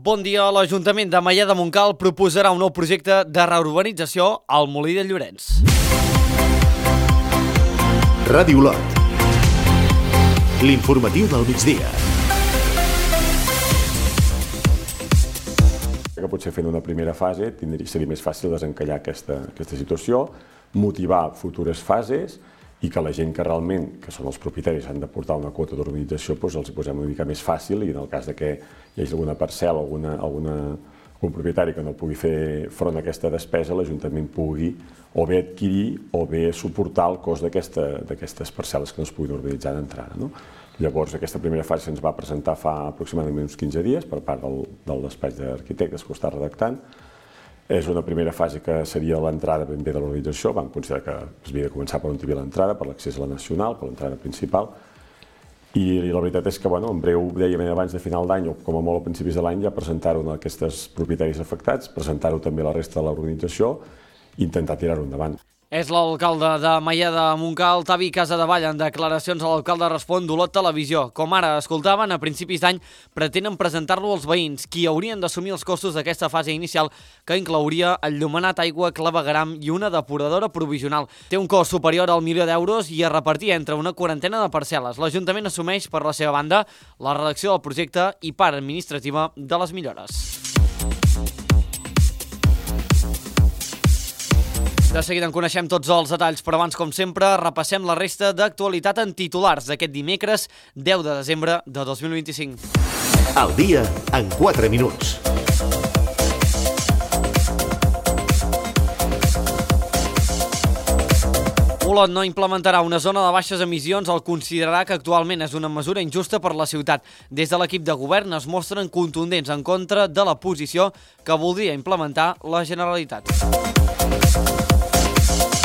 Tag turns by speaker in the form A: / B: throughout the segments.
A: Bon dia. L'Ajuntament de Maià de Montcal proposarà un nou projecte de reurbanització al Molí de Llorenç.
B: Ràdio Lot. L'informatiu del migdia.
C: Que potser fent una primera fase seria més fàcil desencallar aquesta situació, motivar futures fases i que la gent que realment, que són els propietaris, han de portar una quota d'urbanització, doncs els hi posem una mica més fàcil i en el cas de que hi hagi alguna parcel·la, algun propietari que no pugui fer front a aquesta despesa, l'Ajuntament pugui o bé adquirir o bé suportar el cost d'aquestes parcel·les que no es puguin urbanitzar d'entrada. Llavors, aquesta primera fase se'ns va presentar fa aproximadament uns 15 dies per part del despatx d'arquitectes que ho està redactant. És una primera fase que seria l'entrada ben bé de l'urbanització. Vam considerar que es havia de començar per on hi havia l'entrada, per l'accés a la nacional, per l'entrada principal. I la veritat és que, en breu, dèiem abans de final d'any o com a molt a principis de l'any, ja presentar-ho a aquests propietaris afectats, presentar-ho també a la resta de l'organització i intentar tirar-ho endavant.
A: És l'alcalde de Maià de Montcal, Tavi Casadevall, en declaracions a l'alcalde respon d'Olot Televisió. Com ara escoltaven, a principis d'any pretenen presentar-lo als veïns, qui haurien d'assumir els costos d'aquesta fase inicial, que inclouria enllumenat, aigua, clavegueram i una depuradora provisional. Té un cost superior al 1.000.000 d'euros i es repartia entre una quarantena de parcel·les. L'Ajuntament assumeix, per la seva banda, la redacció del projecte i part administrativa de les millores. De seguida en coneixem tots els detalls, però abans, com sempre, repassem la resta d'actualitat en titulars d'aquest dimecres 10 de desembre de 2025.
B: El dia en 4 minuts.
A: Olot no implementarà una zona de baixes emissions al considerar que actualment és una mesura injusta per la ciutat. Des de l'equip de govern es mostren contundents en contra de la posició que voldria implementar la Generalitat.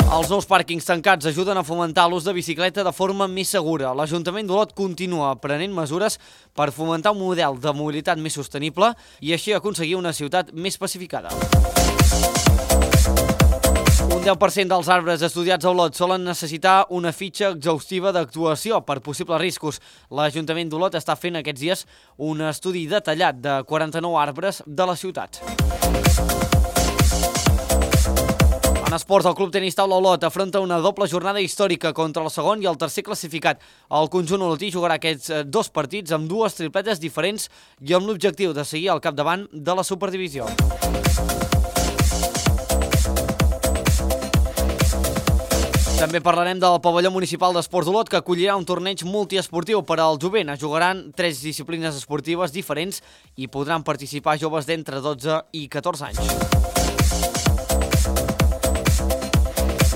A: Els nous pàrquings tancats ajuden a fomentar l'ús de bicicleta de forma més segura. L'Ajuntament d'Olot continua prenent mesures per fomentar un model de mobilitat més sostenible i així aconseguir una ciutat més pacificada. Un 10% dels arbres estudiats a Olot solen necessitar una fitxa exhaustiva d'actuació per possibles riscos. L'Ajuntament d'Olot està fent aquests dies un estudi detallat de 49 arbres de la ciutat. En esports, el Club Tenis Taula Olot afronta una doble jornada històrica contra el segon i el tercer classificat. El conjunt olotí jugarà aquests dos partits amb dues tripletes diferents i amb l'objectiu de seguir al capdavant de la Superdivisió. També parlarem del pavelló municipal d'esports d'Olot, que acollirà un torneig multiesportiu per al jovent. Es jugaran 3 disciplines esportives diferents i podran participar joves d'entre 12 i 14 anys.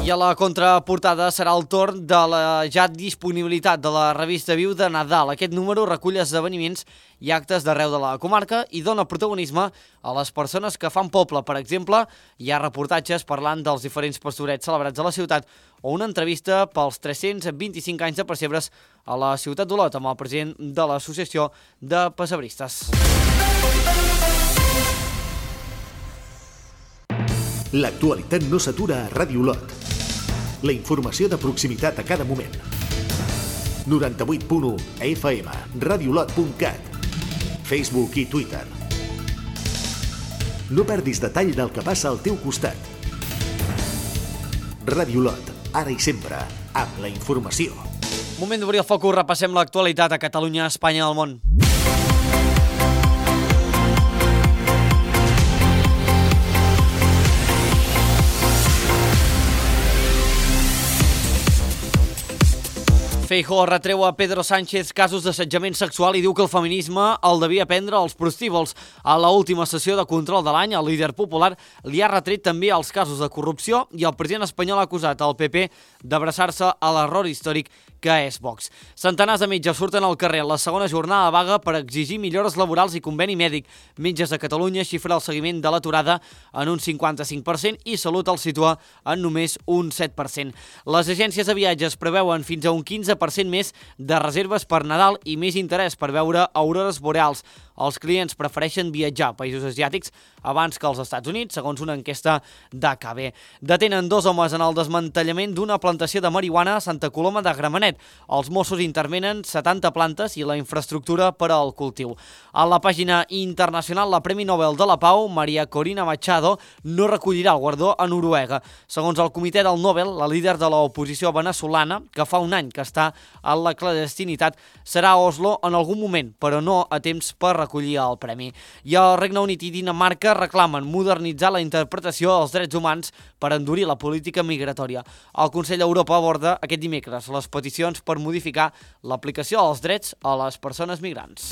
A: I a la contraportada serà el torn de la ja disponibilitat de la revista Viu de Nadal. Aquest número recull esdeveniments i actes d'arreu de la comarca i dona protagonisme a les persones que fan poble. Per exemple, hi ha reportatges parlant dels diferents pastorets celebrats a la ciutat o una entrevista pels 325 anys de pessebres a la ciutat d'Olot amb el president de l'Associació de Pessebristes.
B: L'actualitat no s'atura a Ràdio Lot. La informació de proximitat a cada moment. 98.1 FM, radiolot.cat, Facebook i Twitter. No perdis detall del que passa al teu costat. Ràdio Lot, ara i sempre, amb la informació.
A: Moment d'obrir el focus, repassem l'actualitat a Catalunya, Espanya i el món. Feijóo retreu a Pedro Sánchez casos d'assetjament sexual i diu que el feminisme el devia prendre als prostíbuls. A l'última sessió de control de l'any, el líder popular li ha retret també els casos de corrupció i el president espanyol ha acusat el PP d'abraçar-se a l'error històric que és Vox. Centenars de metges surten al carrer la segona jornada de vaga per exigir millores laborals i conveni mèdic. Metges de Catalunya xifra el seguiment de l'aturada en un 55% i Salut el situa en només un 7%. Les agències de viatges preveuen fins a un 15% més de reserves per Nadal i més interès per veure aurores boreals. els clients prefereixen viatjar a països asiàtics abans que als Estats Units, segons una enquesta d'AKB. Detenen 2 homes en el desmantellament d'una plantació de marihuana a Santa Coloma de Gramenet. Els Mossos intervenen 70 plantes i la infraestructura per al cultiu. A la pàgina internacional, la Premi Nobel de la Pau, Maria Corina Machado, no recollirà el guardó a Noruega. Segons el comitè del Nobel, la líder de l'oposició veneçolana, que fa un any que està a la clandestinitat, serà a Oslo en algun moment, però no a temps per recollir el premi. I el Regne Unit i Dinamarca reclamen modernitzar la interpretació dels drets humans per endurir la política migratòria. El Consell d'Europa aborda aquest dimecres les peticions per modificar l'aplicació dels drets a les persones migrants.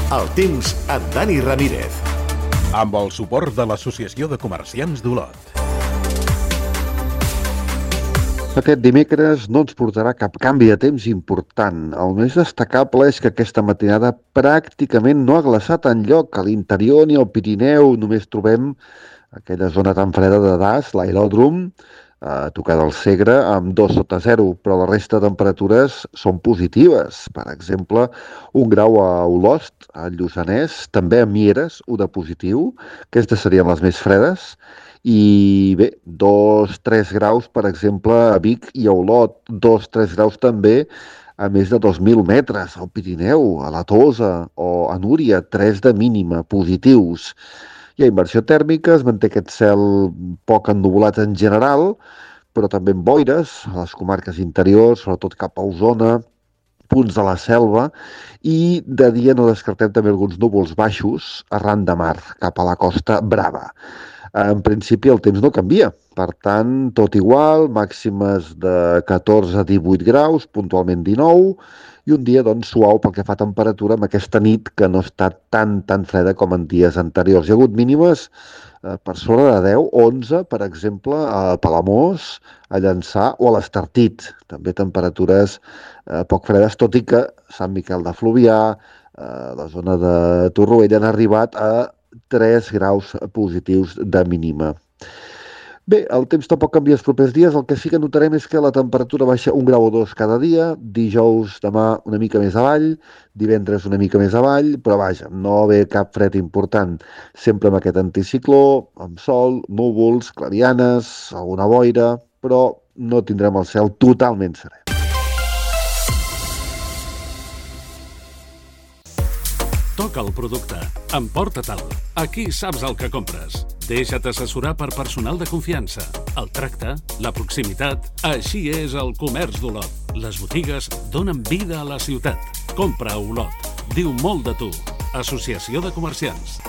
B: El temps amb Dani Ramírez.
D: Amb el suport de l'Associació de Comerciants d'Olot.
E: Aquest dimecres no ens portarà cap canvi de temps important. El més destacable és que aquesta matinada pràcticament no ha glaçat enlloc. A l'interior ni al Pirineu només trobem aquella zona tan freda de Das, l'aeròdrom, a tocar del Segre, amb 2 sota 0, però la resta de temperatures són positives. Per exemple, 1 grau a Olost, a Lluçanès, també a Mieres, 1 de positiu. Aquestes serien les més fredes. I bé, 2-3 graus, per exemple, a Vic i a Olot, 2-3 graus també a més de 2.000 metres, al Pirineu, a la Tosa o a Núria, 3 de mínima, positius. Hi ha inversió tèrmica, es manté aquest cel poc ennuvolat en general, però també amb boires a les comarques interiors, sobretot cap a Osona, punts de la selva, i de dia no descartem també alguns núvols baixos arran de mar, cap a la Costa Brava. En principi el temps no canvia, per tant, tot igual, màximes de 14 a 18 graus, puntualment 19, i un dia doncs suau pel que fa a temperatura amb aquesta nit que no està tan freda com en dies anteriors. Hi ha hagut mínimes per sobre de 10, 11, per exemple, a Palamós, a Llançà o a l'Estartit. També temperatures poc fredes, tot i que Sant Miquel de Fluvià, la zona de Torroella, han arribat a 3 graus positius de mínima. Bé, el temps tampoc canvia els propers dies. El que sí que notarem és que la temperatura baixa 1 grau o 2 cada dia. Dijous, demà, una mica més avall. Divendres, una mica més avall. Però vaja, no ve cap fred important. Sempre amb aquest anticicló, amb sol, núvols, clarianes, alguna boira, però no tindrem el cel totalment serè.
F: Toca el producte. Emporta-te'l. Aquí saps el que compres. Deixa't assessorar per personal de confiança. El tracte, la proximitat... Així és el comerç d'Olot. Les botigues donen vida a la ciutat. Compra a Olot. Diu molt de tu. Associació de Comerciants.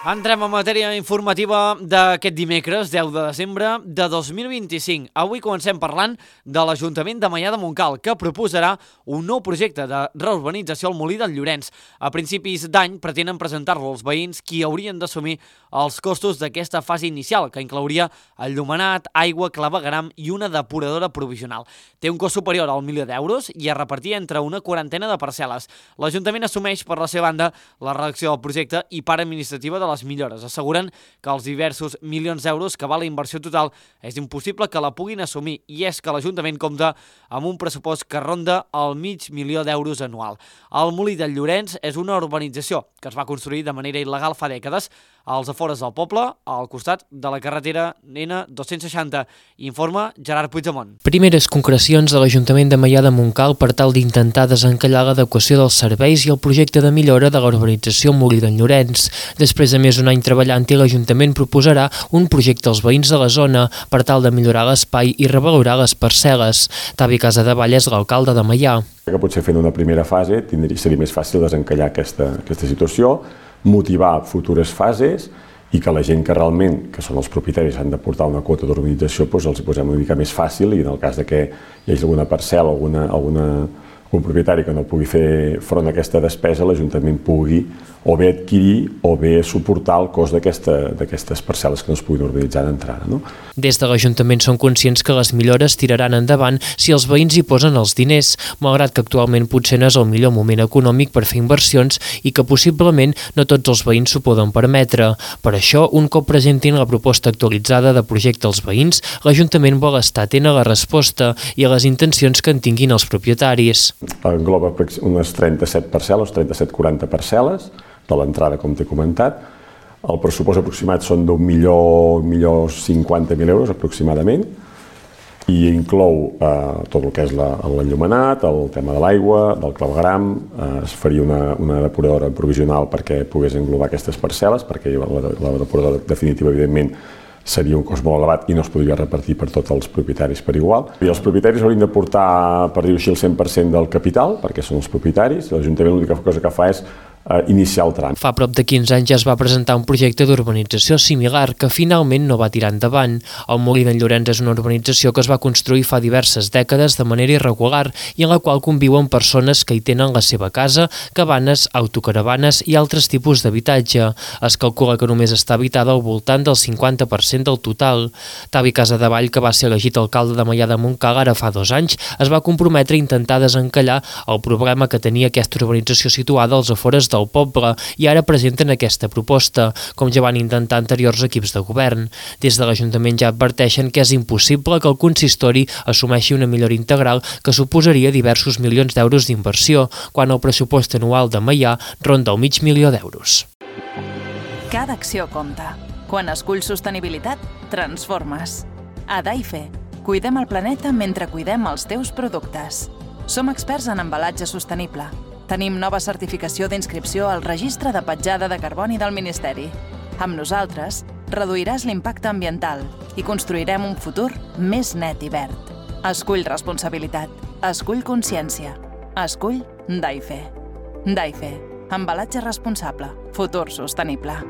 A: Entrem a matèria informativa d'aquest dimecres, 10 de desembre de 2025. Avui comencem parlant de l'Ajuntament de Maià de Montcal, que proposarà un nou projecte de reurbanització al Molí del Llorenç. A principis d'any pretenen presentar-lo als veïns qui haurien d'assumir els costos d'aquesta fase inicial, que inclouria enllumenat, aigua, clavegueram i una depuradora provisional. Té un cost superior al 1.000.000 d'euros i es repartir entre una quarantena de parcel·les. L'Ajuntament assumeix, per la seva banda, la redacció del projecte i part administrativa de les millores. Asseguren que els diversos milions d'euros que val la inversió total és impossible que la puguin assumir, i és que l'Ajuntament compta amb un pressupost que ronda el $500.000 d'euros anual. El Molí del Llorenç és una urbanització que es va construir de manera il·legal fa dècades als afores del poble, al costat de la carretera N260. Informa Gerard Puigdemont.
G: Primeres concrecions de l'Ajuntament de Maià de Montcal per tal d'intentar desencallar l'adequació dels serveis i el projecte de millora de la urbanització Molí del Llorenç. Després de més d'un any treballant-hi, l'Ajuntament proposarà un projecte als veïns de la zona per tal de millorar l'espai i revalorar les parcel·les. Tavi Casadevall és l'alcalde de Maià.
C: Que potser fent una primera fase seria més fàcil desencallar aquesta situació, motivar futures fases i que la gent que realment, que són els propietaris, han de portar una quota d'urbanització, doncs els hi posem una mica més fàcil, i en el cas de que hi hagi alguna parcel·la, alguna un propietari que no pugui fer front a aquesta despesa, l'Ajuntament pugui o bé adquirir o bé suportar el cost d'aquestes parcel·les que no es puguin urbanitzar d'entrada. No?
G: Des de l'Ajuntament són conscients que les millores tiraran endavant si els veïns hi posen els diners, malgrat que actualment potser no és el millor moment econòmic per fer inversions i que possiblement no tots els veïns s'ho poden permetre. Per això, un cop presentin la proposta actualitzada de projecte als veïns, l'Ajuntament vol estar atent a la resposta i a les intencions que en tinguin els propietaris.
C: Engloba unes 37 parcel·les, 37-40 parcel·les, de l'entrada, com t'he comentat. El pressupost aproximat són d'1.050.000 euros, aproximadament, i inclou tot el que és l'enllumenat, el tema de l'aigua, del clavegueram, es faria una depuradora provisional perquè pogués englobar aquestes parcel·les, perquè la depuradora definitiva, evidentment, seria un cost molt elevat i no es podria repartir per tots els propietaris per igual. I els propietaris haurien de portar, per dir-ho així, el 100% del capital, perquè són els propietaris. L'Ajuntament l'única cosa que fa és iniciar el tràmit.
G: Fa prop de 15 anys ja es va presentar un projecte d'urbanització similar que finalment no va tirar endavant. El Molí d'en Llorenç és una urbanització que es va construir fa diverses dècades de manera irregular i en la qual conviuen persones que hi tenen la seva casa, cabanes, autocaravanes i altres tipus d'habitatge. Es calcula que només està habitada al voltant del 50% del total. Tavi Casadevall, que va ser elegit alcalde de Maià de Montcal ara fa 2 anys, es va comprometre a intentar desencallar el problema que tenia aquesta urbanització situada als afores del poble i ara presenten aquesta proposta, com ja van intentar anteriors equips de govern. Des de l'Ajuntament ja adverteixen que és impossible que el consistori assumeixi una millora integral que suposaria diversos milions d'euros d'inversió, quan el pressupost anual de Maià ronda el $500.000 d'euros.
H: Cada acció compta. Quan esculls sostenibilitat, transformes. A Daife, cuidem el planeta mentre cuidem els teus productes. Som experts en embalatge sostenible. Tenim nova certificació d'inscripció al Registre de Petjada de Carboni del Ministeri. Amb nosaltres, reduiràs l'impacte ambiental i construirem un futur més net i verd. Escull responsabilitat. Escull consciència. Escull Daife. Daife. Embalatge responsable. Futur sostenible.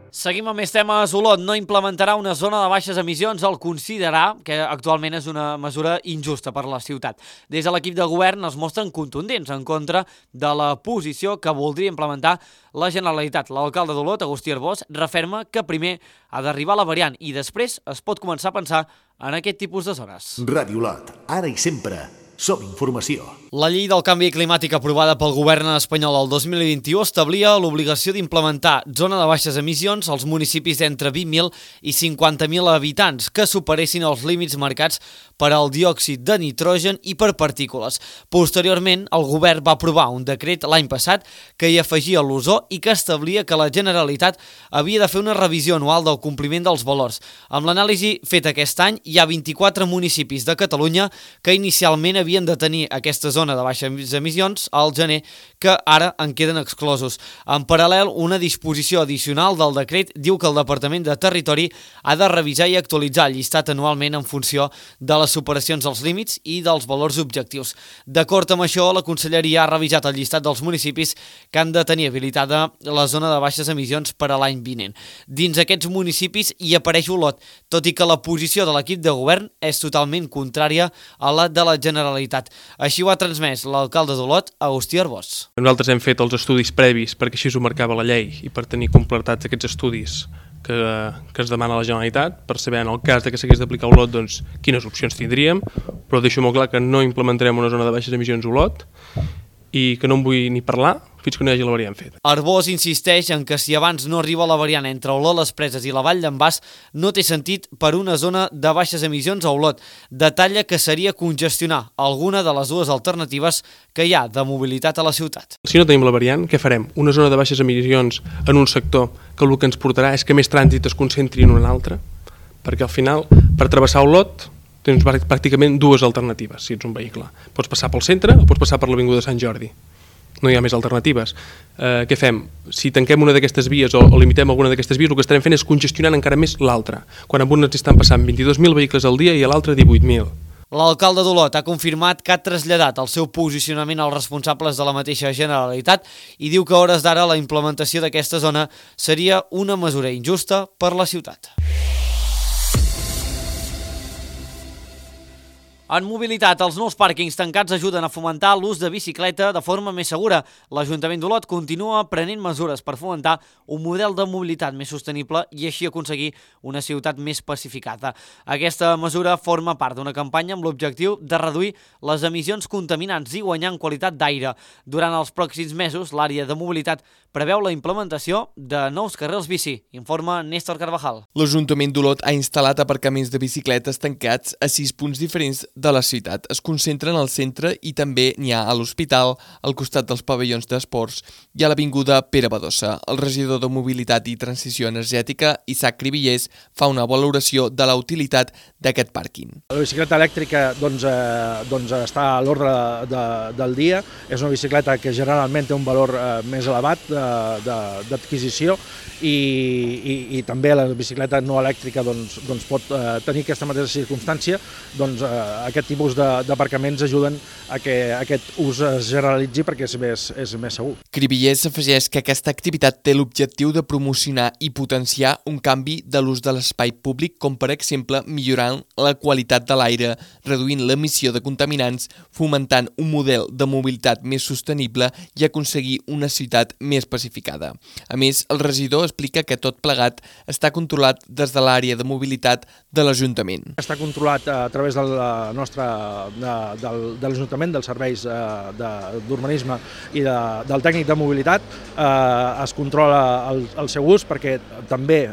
A: Seguim amb més temes. Olot no implementarà una zona de baixes emissions al considerar que actualment és una mesura injusta per la ciutat. Des de l'equip de govern es mostren contundents en contra de la posició que voldria implementar la Generalitat. L'alcalde d'Olot, Agustí Arbós, referma que primer ha d'arribar la variant i després es pot començar a pensar en aquest tipus de zones.
B: Ràdio Olot, ara i sempre. Som informació.
A: La llei del canvi climàtic aprovada pel govern espanyol el 2021 establia l'obligació d'implementar zona de baixes emissions als municipis d'entre 20.000 i 50.000 habitants que superessin els límits marcats per al diòxid de nitrogen i per partícules. Posteriorment, el govern va aprovar un decret l'any passat que hi afegia l'ozó i que establia que la Generalitat havia de fer una revisió anual del compliment dels valors. Amb l'anàlisi feta aquest any, hi ha 24 municipis de Catalunya que inicialment havien de tenir aquesta zona de baixes emissions al gener, que ara en queden exclosos. En paral·lel, una disposició addicional del decret diu que el Departament de Territori ha de revisar i actualitzar el llistat anualment en funció de les superacions dels límits i dels valors objectius. D'acord amb això, la Conselleria ha revisat el llistat dels municipis que han de tenir habilitada la zona de baixes emissions per a l'any vinent. Dins aquests municipis hi apareix Olot, tot i que la posició de l'equip de govern és totalment contrària a la de la Generalitat. Així ho ha transmès l'alcalde d'Olot, Agustí Arbós.
I: Nosaltres hem fet els estudis previs perquè així ho marcava la llei i per tenir completats aquests estudis que es demana a la Generalitat per saber en el cas de que s'hagués d'aplicar a Olot doncs, quines opcions tindríem, però deixo molt clar que no implementarem una zona de baixes emissions a Olot i que no en vull ni parlar fins que no hi hagi la variant feta.
A: Arbós insisteix en que si abans no arriba la variant entre Olot, les Preses i la Vall d'en Bas, no té sentit per una zona de baixes emissions a Olot. Detalla que seria congestionar alguna de les dues alternatives que hi ha de mobilitat a la ciutat.
I: Si no tenim la variant, què farem? Una zona de baixes emissions en un sector que el que ens portarà és que més trànsit es concentri en un altre, perquè al final, per travessar Olot, tens pràcticament dues alternatives, si ets un vehicle. Pots passar pel centre o pots passar per l'Avinguda Sant Jordi. No hi ha més alternatives. Què fem? Si tanquem una d'aquestes vies o limitem alguna d'aquestes vies, el que estarem fent és congestionant encara més l'altra, quan amb una ens estan passant 22.000 vehicles al dia i a l'altre 18.000.
A: L'alcalde d'Olot ha confirmat que ha traslladat el seu posicionament als responsables de la mateixa Generalitat i diu que a hores d'ara la implementació d'aquesta zona seria una mesura injusta per la ciutat. En mobilitat, els nous pàrquings tancats ajuden a fomentar l'ús de bicicleta de forma més segura. L'Ajuntament d'Olot continua prenent mesures per fomentar un model de mobilitat més sostenible i així aconseguir una ciutat més pacificada. Aquesta mesura forma part d'una campanya amb l'objectiu de reduir les emissions contaminants i guanyar en qualitat d'aire. Durant els pròxims mesos, l'àrea de mobilitat preveu la implementació de nous carrils bici, informa Néstor Carvajal.
J: L'Ajuntament d'Olot ha instal·lat aparcaments de bicicletes tancats a 6 punts diferents de la ciutat. Es concentren al centre i també n'hi ha a l'Hospital, al costat dels pavellons d'esports i a l'avinguda Pere Badosa. El regidor de Mobilitat i Transició Energètica, Isaac Cribillers, fa una valoració de la utilitat d'aquest pàrquing.
K: La bicicleta elèctrica està a l'ordre del dia. És una bicicleta que generalment té un valor més elevat d'adquisició i també la bicicleta no elèctrica pot tenir aquesta mateixa circumstància. Aquest tipus d'aparcaments ajuden a que aquest ús es generalitzi perquè és més segur.
J: Cribillers afegeix que aquesta activitat té l'objectiu de promocionar i potenciar un canvi de l'ús de l'espai públic, com per exemple millorant la qualitat de l'aire, reduint l'emissió de contaminants, fomentant un model de mobilitat més sostenible i aconseguir una ciutat més pacificada. A més, el regidor explica que tot plegat està controlat des de l'àrea de mobilitat de l'Ajuntament.
K: Està controlat a través de l'Ajuntament, dels serveis d'urbanisme i del tècnic de mobilitat. Es controla el seu ús perquè també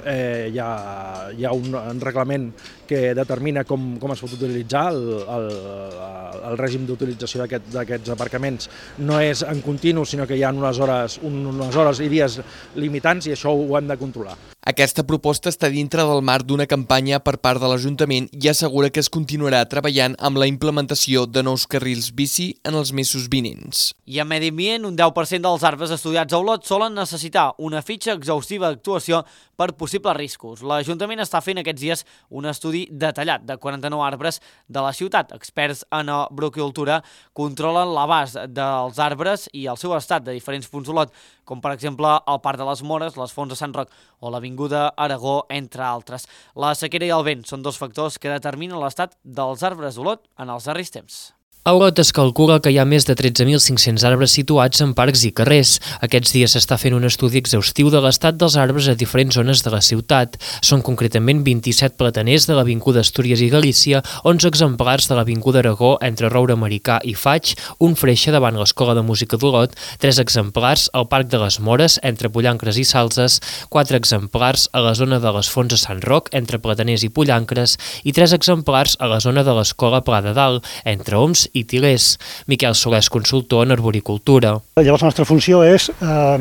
K: hi ha un reglament que determina com es pot utilitzar. El règim d'utilització d'aquests aparcaments no és en continu, sinó que hi ha unes hores i dies limitants i això ho hem de controlar.
J: Aquesta proposta està dintre del marc d'una campanya per part de l'Ajuntament i assegura que es continuarà treballant amb la implementació de nous carrils bici en els mesos vinents.
A: I en medi ambient, un 10% dels arbres estudiats a Olot solen necessitar una fitxa exhaustiva d'actuació per possibles riscos. L'Ajuntament està fent aquests dies un estudi detallat de 49 arbres de la ciutat. Experts en arboricultura controlen l'abast dels arbres i el seu estat de diferents punts d'Olot, com per exemple el Parc de les Mores, les Fonts de Sant Roc o l'Avinguda Aragó, entre altres. La sequera i el vent són dos factors que determinen l'estat dels arbres d'Olot en els darrers temps.
G: A Olot es calcula que hi ha més de 13.500 arbres situats en parcs i carrers. Aquests dies s'està fent un estudi exhaustiu de l'estat dels arbres a diferents zones de la ciutat. Són concretament 27 plataners de l'Avinguda Astúries i Galícia, 11 exemplars de l'Avinguda Aragó entre Roure Americà i Faig, un freixe davant l'Escola de Música d'Olot, 3 exemplars al Parc de les Mores entre Pollancres i Salses, 4 exemplars a la zona de les Fonts de Sant Roc entre Plataners i Pollancres i 3 exemplars a la zona de l'Escola Pla de Dalt entre Oms i Tilers. Miquel Solés, consultor en arboricultura.
L: Llavors la nostra funció és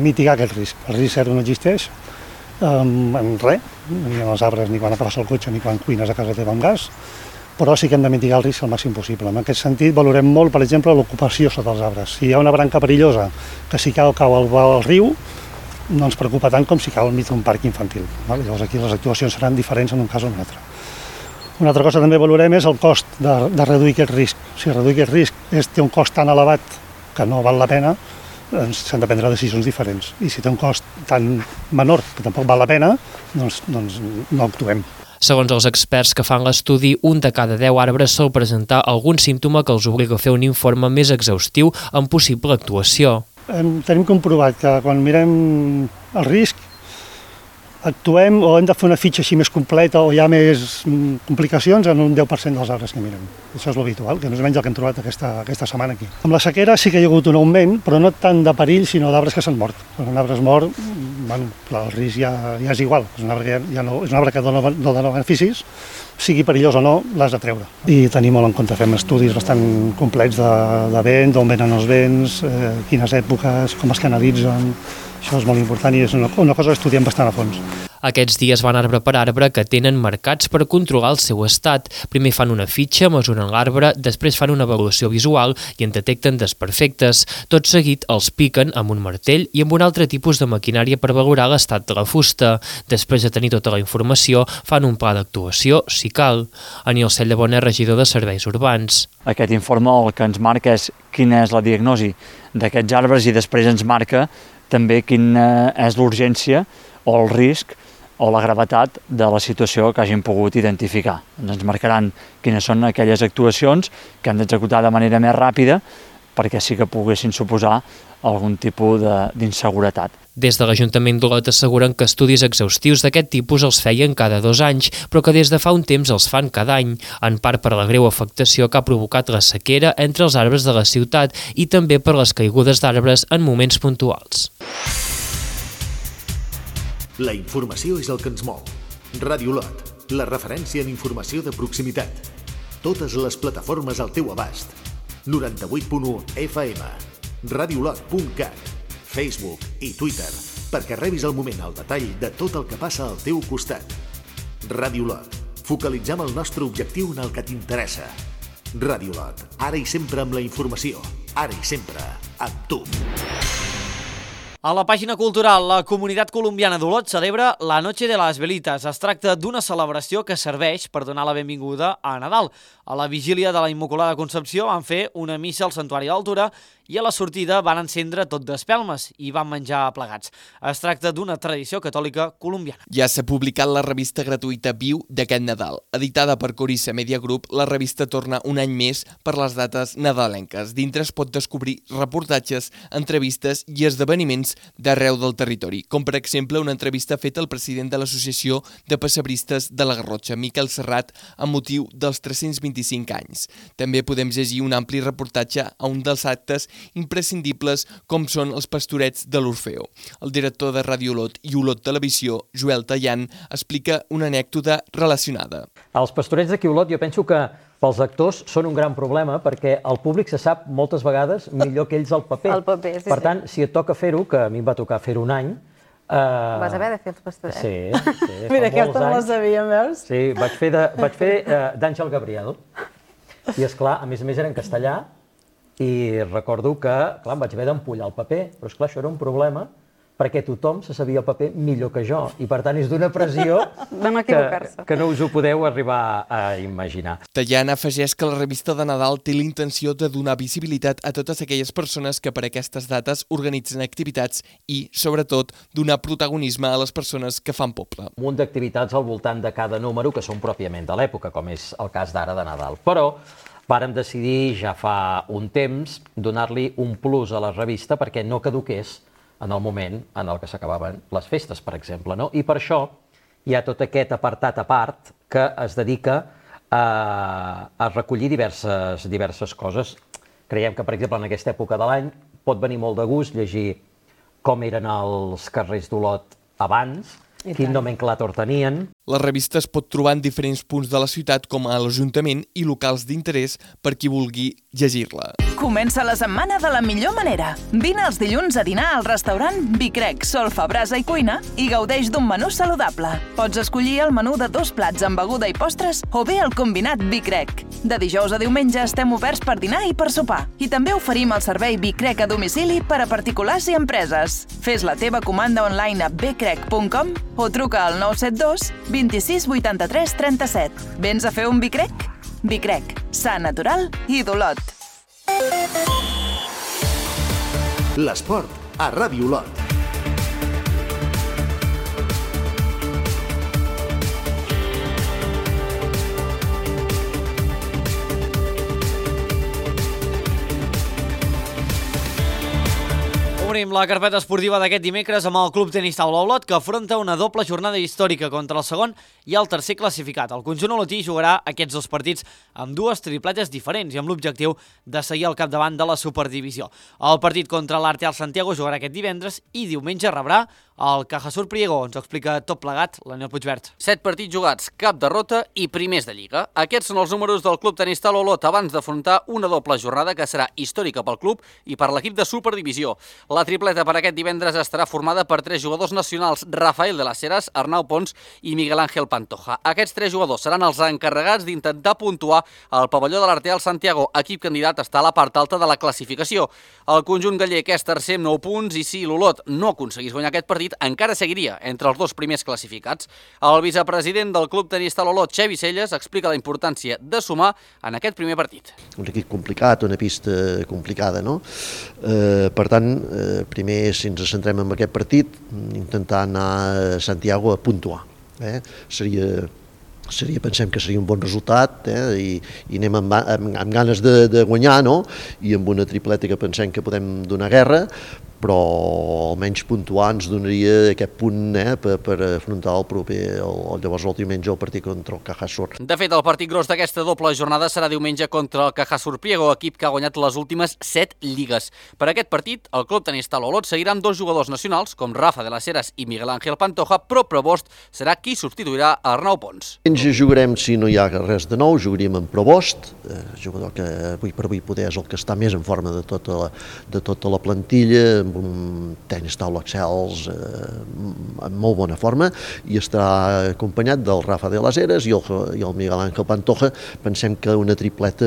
L: mitigar aquest risc. El risc zero no existeix en res, ni en els arbres, ni quan agafes el cotxe, ni quan cuines a casa teva amb gas, però sí que hem de mitigar el risc al màxim possible. En aquest sentit valorem molt, per exemple, l'ocupació sota els arbres. Si hi ha una branca perillosa que si cau al riu, no ens preocupa tant com si cau al mig d'un parc infantil. Llavors aquí les actuacions seran diferents en un cas o en un altre. Una altra cosa que també valorem és el cost de reduir aquest risc. Si reduir aquest risc té un cost tan elevat que no val la pena, s'han de prendre decisions diferents. I si té un cost tan menor que tampoc val la pena, doncs no actuem.
G: Segons els experts que fan l'estudi, un de cada 10 arbres sol presentar algun símptoma que els obliga a fer un informe més exhaustiu amb possible actuació.
L: Tenim comprovat que quan mirem el risc actuem o hem de fer una fitxa així més completa o hi ha més complicacions en un 10% dels arbres que mirem. Això és l'habitual, que no és menys el que hem trobat aquesta setmana aquí. Amb la sequera sí que hi ha hagut un augment, però no tant de perill, sinó d'arbres que s'han mort. Quan un arbre es mor, el risc ja és igual. És un arbre que no dona beneficis, sigui perillós o no, l'has de treure. I tenim molt en compte, fem estudis bastant complets de vent, d'on venen els vents, quines èpoques, com es canalitzen. Això és molt important i és una cosa que estudiem bastant a fons.
G: Aquests dies van arbre per arbre que tenen marcats per controlar el seu estat. Primer fan una fitxa, mesuren l'arbre, després fan una avaluació visual i en detecten desperfectes. Tot seguit els piquen amb un martell i amb un altre tipus de maquinària per valorar l'estat de la fusta. Després de tenir tota la informació, fan un pla d'actuació, si cal. Aniol Cellabona, regidor de Serveis Urbans.
M: Aquest informe el que ens marca és quina és la diagnosi d'aquests arbres i després ens marca també quina és l'urgència o el risc o la gravetat de la situació que hagin pogut identificar. Ens marcaran quines són aquelles actuacions que han d'executar de manera més ràpida perquè sí que poguessin suposar algun tipus d'inseguretat.
G: Des de l'Ajuntament d'Olot asseguren que estudis exhaustius d'aquest tipus els feien cada 2 anys, però que des de fa un temps els fan cada any, en part per la greu afectació que ha provocat la sequera entre els arbres de la ciutat i també per les caigudes d'arbres en moments puntuals.
B: La informació és el que ens mou. Ràdio Olot, la referència en informació de proximitat. Totes les plataformes al teu abast. 98.1 FM, radioolot.cat, Facebook i Twitter, perquè rebis al moment el detall de tot el que passa al teu costat. Ràdio Olot, focalitzem el nostre objectiu en el que t'interessa. Ràdio Olot, ara i sempre amb la informació, ara i sempre amb tu.
A: A la pàgina cultural, la comunitat colombiana d'Olot celebra la Noche de las Velitas. Es tracta d'una celebració que serveix per donar la benvinguda a Nadal. A la vigília de la Immaculada Concepció van fer una missa al Santuari d'Altura i a la sortida van encendre tot d'espelmes i van menjar plegats. Es tracta d'una tradició catòlica colombiana.
J: Ja s'ha publicat la revista gratuïta Viu d'aquest Nadal. Editada per Corissa Media Group, la revista torna un any més per les dates nadalenques. Dintre es pot descobrir reportatges, entrevistes i esdeveniments d'arreu del territori, com per exemple una entrevista feta al president de l'Associació de Pessebristes de la Garrotxa, Miquel Serrat, amb motiu dels 325 anys. També podem llegir un ampli reportatge a un dels actes imprescindibles com són els pastorets de l'Orfeo. El director de Ràdio Olot i Olot Televisió, Joel Tallant, explica una anècdota relacionada.
N: Els pastorets d'aquí a Olot jo penso que pels actors són un gran problema perquè el públic se sap moltes vegades millor que ells el paper.
O: El paper, sí,
N: per tant, si et toca fer-ho, que a mi em va tocar fer-ho un any...
O: Vas haver de fer els pastorets?
N: Sí.
O: Mira, aquesta no la sabíem, veus?
N: Sí, vaig fer d'Àngel Gabriel. I, esclar, a més era en castellà i recordo que, clar, em vaig haver d'empullar el paper, però, esclar, això era un problema perquè tothom se sabia el paper millor que jo i, per tant, és d'una pressió que no us ho podeu arribar a imaginar.
J: Tallant afegeix que la revista de Nadal té la intenció de donar visibilitat a totes aquelles persones que per aquestes dates organitzen activitats i, sobretot, donar protagonisme a les persones que fan poble.
N: Un munt d'activitats al voltant de cada número que són pròpiament de l'època, com és el cas d'ara de Nadal. Però vàrem decidir ja fa un temps donar-li un plus a la revista perquè no caduqués en el moment en el que s'acabaven les festes, per exemple, no? I per això hi ha tot aquest apartat a part que es dedica a recollir diverses coses. Creiem que, per exemple, en aquesta època de l'any pot venir molt de gust llegir com eren els carrers d'Olot abans, quin nomenclàtor tenien.
J: La revista es pot trobar en diferents punts de la ciutat com a l'Ajuntament i locals d'interès per qui vulgui llegir-la.
H: Comença la setmana de la millor manera. Vine els dilluns a dinar al restaurant Bicrec, Solfa, Brasa i Cuina i gaudeix d'un menú saludable. Pots escollir el menú de 2 plats amb beguda i postres o bé el combinat Bicrec. De dijous a diumenge estem oberts per dinar i per sopar. I també oferim el servei Bicrec a domicili per a particulars i empreses. Fes la teva comanda online a bcrec.com o truca al 972 26 83 37. Vens a fer un Bicrec? Bicrec, sa, natural i d'Olot.
B: L'esport a Ràdio Olot.
A: Obrim la carpeta esportiva d'aquest dimecres amb el Club Tenis Taula Olot, que afronta una doble jornada històrica contra el segon i el tercer classificat. El conjunt olotí jugarà aquests 2 partits amb 2 tripletes diferents i amb l'objectiu de seguir al capdavant de la Superdivisió. El partit contra l'Arteal Santiago jugarà aquest divendres i diumenge rebrà el Cajasur Priego. Ens ho explica tot plegat l'Aniol Puigvert.
P: 7 partits jugats, cap derrota i primers de Lliga. Aquests són els números del Club Tenis Taula Olot abans d'afrontar una doble jornada que serà històrica pel club i per l'equip de Superdivisió. La tripleta per aquest divendres estarà formada per 3 jugadors nacionals, Rafael de las Heras, Arnau Pons i Miguel Ángel Pantoja. Aquests 3 jugadors seran els encarregats d'intentar puntuar al pavelló de l'Arteal Santiago, equip candidat està a la part alta de la classificació. El conjunt gallec és tercer amb 9 punts i si l'Olot no aconseguís guanyar aquest partit, encara seguiria entre els 2 primers classificats. El vicepresident del Club Tenis Taula Olot, Xevi Celles, explica la importància de sumar en aquest primer partit.
Q: Un equip complicat, una pista complicada, no? Per tant, primer, si ens centrem en aquest partit, intentar anar a Santiago a puntuar. Pensem que seria un bon resultat, i anem amb ganes de guanyar, no? I amb una tripleta que pensem que podem donar guerra, però almenys puntuar ens donaria aquest punt per afrontar llavors el diumenge el partit contra el Cajasur.
P: De fet, el partit gros d'aquesta doble jornada serà diumenge contra el Cajasur Priego, equip que ha guanyat les últimes 7 lligues. Per aquest partit, el Club Tenis Taula Olot seguirà amb 2 jugadors nacionals, com Rafa de las Heras i Miguel Ángel Pantoja, però Provost serà qui substituirà Arnau Pons.
Q: Ens jugarem, si no hi ha res de nou, jugaríem amb Provost, jugador que avui per avui poder és el que està més en forma de tota la plantilla, amb un tenis taula excels en molt bona forma, i estarà acompanyat del Rafa de las Heras i el Miguel Ángel Pantoja. Pensem que una tripleta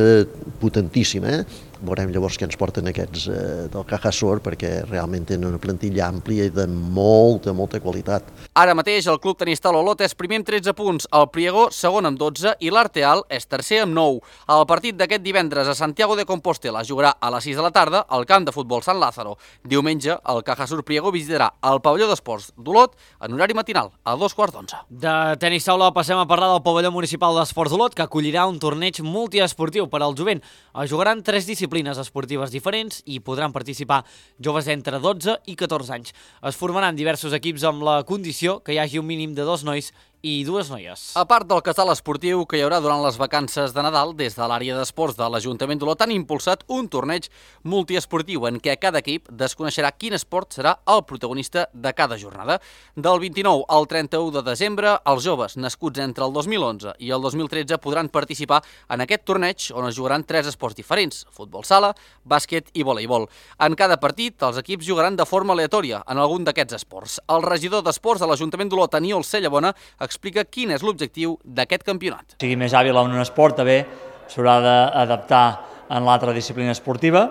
Q: potentíssima, Veurem llavors què ens porten aquests del Cajasur, perquè realment tenen una plantilla àmplia i de molta qualitat.
P: Ara mateix el Club Tenis Taula Olot és primer amb 13 punts, el Priego segon amb 12 i l'Arteal és tercer amb 9. El partit d'aquest divendres a Santiago de Compostela jugarà a les 6 de la tarda al camp de futbol Sant Lázaro. Diumenge el Cajasur Priego visitarà el pavelló d'esports d'Olot en horari matinal a 2:15.
A: De tenis taula passem a parlar del pavelló municipal d'esports d'Olot, que acollirà un torneig multiesportiu per al jovent. Es jugaran 3 disciplines esportives diferents i podran participar joves entre 12 i 14 anys. Es formaran diversos equips amb la condició que hi hagi un mínim de 2 nois i 2 noies.
P: A part del casal esportiu que hi haurà durant les vacances de Nadal, des de l'àrea d'esports de l'Ajuntament d'Olot han impulsat un torneig multiesportiu en què cada equip desconeixerà quin esport serà el protagonista de cada jornada. Del 29 al 31 de desembre, els joves nascuts entre el 2011 i el 2013 podran participar en aquest torneig on es jugaran 3 esports diferents: futbol sala, bàsquet i voleibol. En cada partit, els equips jugaran de forma aleatòria en algun d'aquests esports. El regidor d'esports de l'Ajuntament d'Olot, Aniol Cellabona, explica quin és l'objectiu d'aquest campionat.
M: Sigui més hàbil en un esport, també s'haurà d'adaptar en l'altra disciplina esportiva,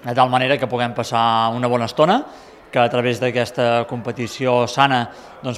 M: de tal manera que puguem passar una bona estona, que a través d'aquesta competició sana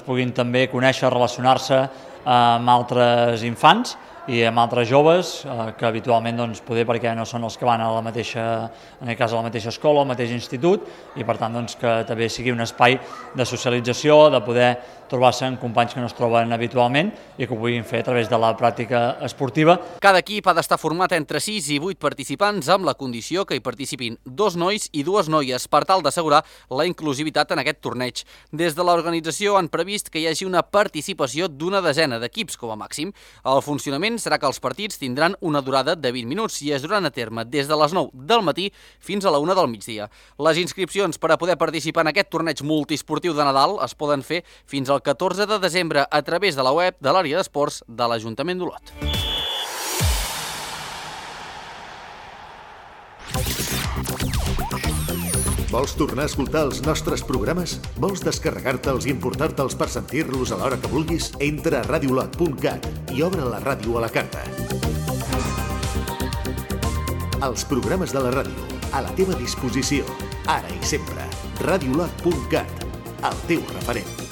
M: puguin també conèixer, relacionar-se amb altres infants i amb altres joves que habitualment poder perquè no són els que van a la mateixa, en aquest cas a la mateixa escola, al mateix institut, i per tant que també sigui un espai de socialització, de poder trobar-se amb companys que no es troben habitualment i que ho puguin fer a través de la pràctica esportiva.
P: Cada equip ha d'estar format entre 6 i 8 participants amb la condició que hi participin 2 nois i 2 noies per tal d'assegurar la inclusivitat en aquest torneig. Des de l'organització han previst que hi hagi una participació d'una desena d'equips com a màxim. El funcionament serà que els partits tindran una durada de 20 minuts i es duran a terme des de les 9 del matí fins a la 1 del migdia. Les inscripcions per a poder participar en aquest torneig multiesportiu de Nadal es poden fer fins al 14 de desembre a través de la web de l'àrea d'esports de l'Ajuntament d'Olot.
B: Vols tornar a escoltar els nostres programes? Vols descarregar-te'ls i emportar-te'ls per sentir-los a l'hora que vulguis? Entra a radiolot.cat i obre la ràdio a la carta. Els programes de la ràdio, a la teva disposició, ara i sempre. radiolot.cat, el teu referent.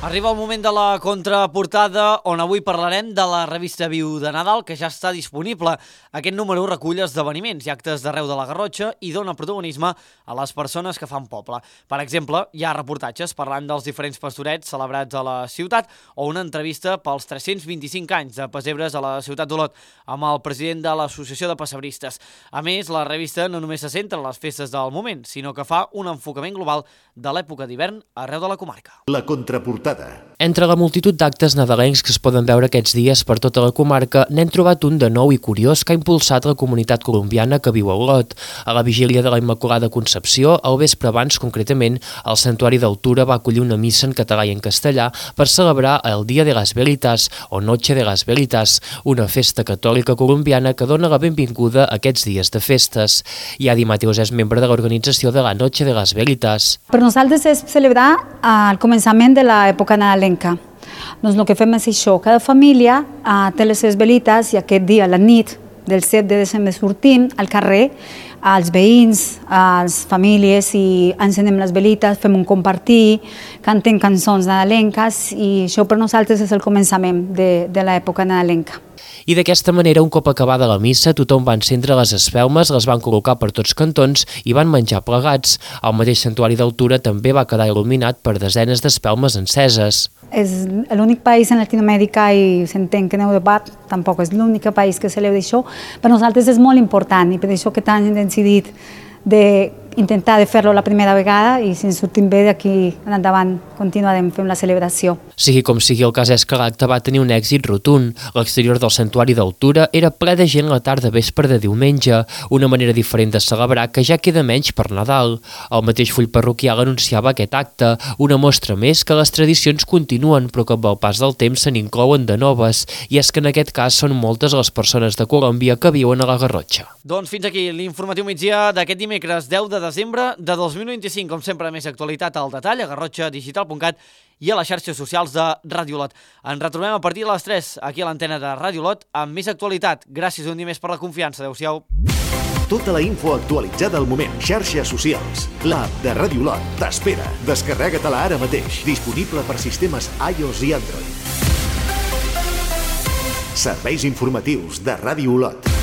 A: Arriba el moment de la contraportada, on avui parlarem de la revista Viu de Nadal, que ja està disponible. Aquest número recull esdeveniments i actes d'arreu de la Garrotxa i dona protagonisme a les persones que fan poble. Per exemple, hi ha reportatges parlant dels diferents pastorets celebrats a la ciutat o una entrevista pels 325 anys de pessebres a la ciutat d'Olot amb el president de l'Associació de Pessebristes. A més, la revista no només se centra en les festes del moment, sinó que fa un enfocament global de l'època d'hivern arreu de la comarca.
B: La contraportada.
G: Entre la multitud d'actes nadalencs que es poden veure aquests dies per tota la comarca, n'hem trobat un de nou i curiós que ha impulsat la comunitat colombiana que viu a Olot. A la vigília de la Immaculada Concepció, al vespre abans concretament, el Santuari d'Altura va acollir una missa en català i en castellà per celebrar el Dia de las Veritas o Noche de las Veritas, una festa catòlica colombiana que dona la benvinguda a aquests dies de festes. Iadi Mateus és membre de l'organització de la Noche de las Veritas.
R: Per nosaltres és celebrar el començament de l'època nadalenca. Doncs el que fem és això, cada família té les seves velites i aquest dia, la nit del 7 de desembre, sortim al carrer, als veïns, a les famílies, i encenem les velites, fem un compartir, cantem cançons nadalenques i això per nosaltres és el començament de l'època nadalenca.
G: I d'aquesta manera, un cop acabada la missa, tothom va encendre les espelmes, les van col·locar per tots cantons i van menjar plegats. El mateix santuari d'Altura també va quedar il·luminat per desenes d'espelmes enceses.
R: És l'únic país en Latinoamèrica, i s'entén que en Europa tampoc és l'únic país que celebra això. Per nosaltres és molt important i per això que tant hem decidit d'intentar de fer-lo la primera vegada i si ens sortim bé d'aquí en endavant continuarem fent la celebració.
G: Sigui com sigui, el cas és que l'acte va tenir un èxit rotund. L'exterior del santuari d'Altura era ple de gent la tarda vespre de diumenge, una manera diferent de celebrar que ja queda menys per Nadal. El mateix full parroquial anunciava aquest acte, una mostra més que les tradicions continuen però que amb el pas del temps se n'inclouen de noves, i és que en aquest cas són moltes les persones de Colòmbia que viuen a la Garrotxa.
A: Doncs fins aquí l'informatiu migdia d'aquest dimecres 10 de desembre de 2025. Com sempre, més actualitat al detall a garrotxadigital.cat i a les xarxes socials de Ràdio Lot. Ens retrobem a partir de les 3 aquí a l'antena de Ràdio Lot amb més actualitat. Gràcies un dia més per la confiança. Adéu-siau.
B: Tota la info actualitzada al moment. Xarxes socials. L'app de Ràdio Lot t'espera. Descarrega-te-la ara mateix. Disponible per sistemes iOS i Android. Serveis informatius de Ràdio Lot.